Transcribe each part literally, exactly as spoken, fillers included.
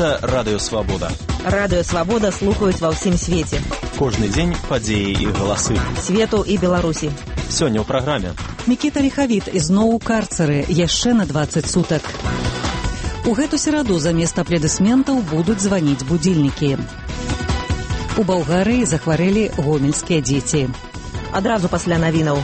Гэта Радыё Свабода. Радыё Свабода слухаюць ва ўсім свеце. Кожны дзень падзеі і галасы. Свету і Беларусі. Сёння ў праграме. Мікіта Ліхавіт ізноў у карцары яшчэ на дваццаць сутак. У гэту сераду замест аплодысментаў будуць званіць будзільнікі. У Балгарыі захварэлі гомельскія дзеці. Адразу пасля навінаў.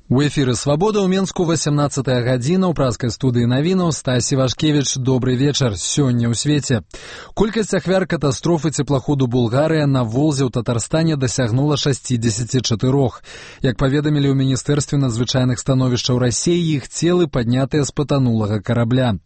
У эфіры «Свабода» ў Менску васямнаццатая гадзіна ў праскай студыі навінаў. Стасі Вашкевіч, добры вечар. Сёння ў свеце. Колькасць ахвяр катастрофы цеплаходу «Булгарыя» на Волзе ў Татарстане дасягнула шэсцьдзесят чатыры. Як паведамілі ў Міністэрстве надзвычайных становішчаў Расіі, іх целы паднятыя з патанулага карабля.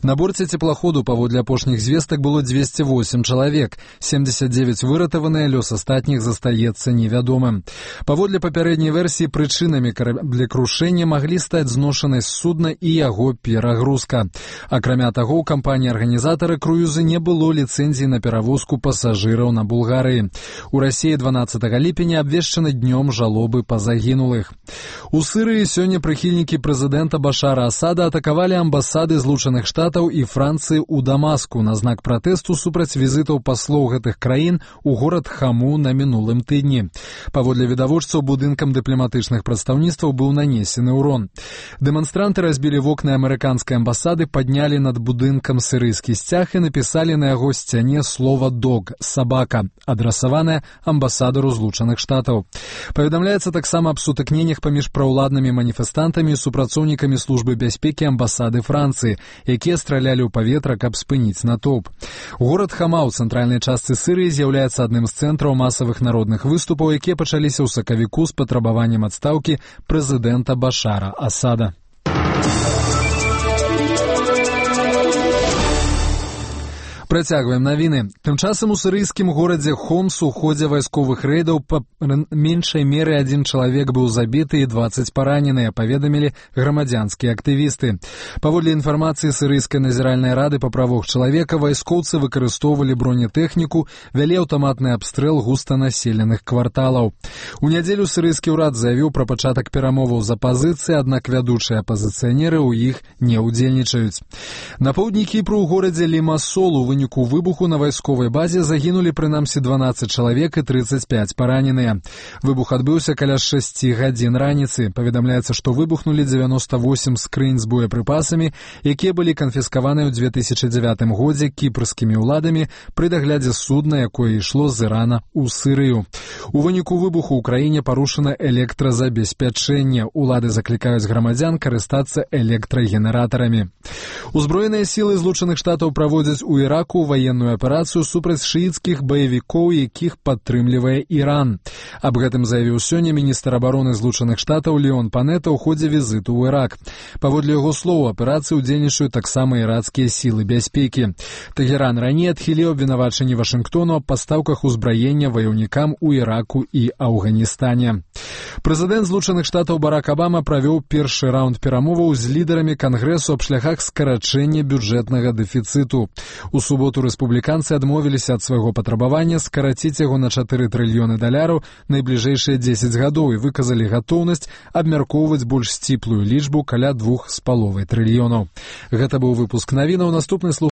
На борце цеплаходу, паводле апошніх звестак, было дзвесце восем чалавек. семьдесят девять выратаваныя, лёс астатніх застаецца невядомым. Паводле папярэдняй версіі, прычынамі карабля для крушэння маглі стаць зношанасць судна і яго перагрузка. Акрамя таго, у кампаніі-арганізатары круізы не было ліцэнзіі на перавозку пасажыраў на Булгарыі. У Расіі дванаццатага ліпеня абвешчаны днём жалобы па загінулых. У Сырыі сёння прыхільнікі прэзідэнта Башара Асада атакавалі амбасады Злучаных Штатаў і Францыі ў Дамаску на знак пратэсту супраць візітаў паслоў гэтых краін у горад Хаму на мінулым тыдні. Паводле відавочцаў, будынкам дыпламатычных прадстаўніцтваў быў нанесены ўрон. Дэманстранты разбілі вокны амерыканскай амбасады, паднялі над будынкам сірыйскі сцяг і напісалі на яго сцяне слова «дог» — «сабака», адрасаванае амбасадару Злучаных Штатаў. Паведамляецца таксама аб сутыкненнях паміж праўладнымі маніфестантамі і супрацоўнікамі службы бяспекі амбасады Францыі, якія стралялі ў паветра, каб спыніць натоўп. Горад Хама ў цэнтральнай частцы Сырыі з'яўляецца адным з цэнтраў масавых народных выступаў, якія пачаліся ў сакавіку з патрабаваннем адстаўкі прэзідэнта Башара Асада. Працягваем навіны. Тым часам у сірыйскім горадзе Хомс у ходзе вайсковых рэйдаў па меншай меры адзін чалавек быў забіты і дваццаць параненыя, паведамілі грамадзянскія актывісты. Паводле інфармацыі сірыйскай назіральнай рады па правах чалавека, вайскоўцы выкарыстоўвалі бронетэхніку, вялі аўтаматны абстрэл густанаселеных кварталаў. У нядзелю сірыйскі ўрад заявіў пра пачатак перамоваў з апазіцыяй, аднак вядучыя апазіцыянеры ў іх не ўдзельнічаюць. На поўдні Кіпру ў горадзе Лімасол у выніку выбуху на вайсковай базе загінулі прынамсі дванаццаць чалавек і трыццаць пяць параненыя. Выбух адбыўся каля шасці гадзін раніцы. Паведамляецца, што выбухнулі дзевяноста восем скрынь з боепрыпасамі, якія былі канфіскаваныя ў две тысячы дзявятым годзе кіпрскімі ўладамі пры даглядзе судна, якое ішло з Ірана ў Сірыю. У выніку выбуху ў краіне парушана электразабеспячэнне. Улады заклікаюць грамадзян карыстацца электрагенератарамі. Узброеныя сілы Злучаных Штатаў праводзяць у Іраку ваенную аперацыю супраць шыіцкіх баевікоў, якіх падтрымлівае Іран. Аб гэтым заявіў сёння міністр абароны Злучаных Штатаў Леон Панета ў ходзе візіту ў Ірак. Паводле яго слоў, у аперацыі ўдзельнічаюць таксама ірацкія сілы бяспекі. Тэгеран раней адхіліў абвінавачанні Вашынгтону аб пастаўках узбраення ваяўнікам у Іраку і Афганістане. Прэзідэнт Злучаных Штатаў Барак Абама правёў першы раунд перамоваў з лідарамі кангрэсу аб шляхах скарачэння бюджэтнага дэфіцыту. У суботу рэспубліканцы адмовіліся ад свайго патрабавання скараціць яго на чатыры трыльёны даляраў найбліжэйшыя дзесяць гадоў і выказалі гатоўнасць абмяркоўваць больш сціплую лічбу каля двух з паловай трыльёнаў. Гэта быў выпуск навінаў. Наступны слух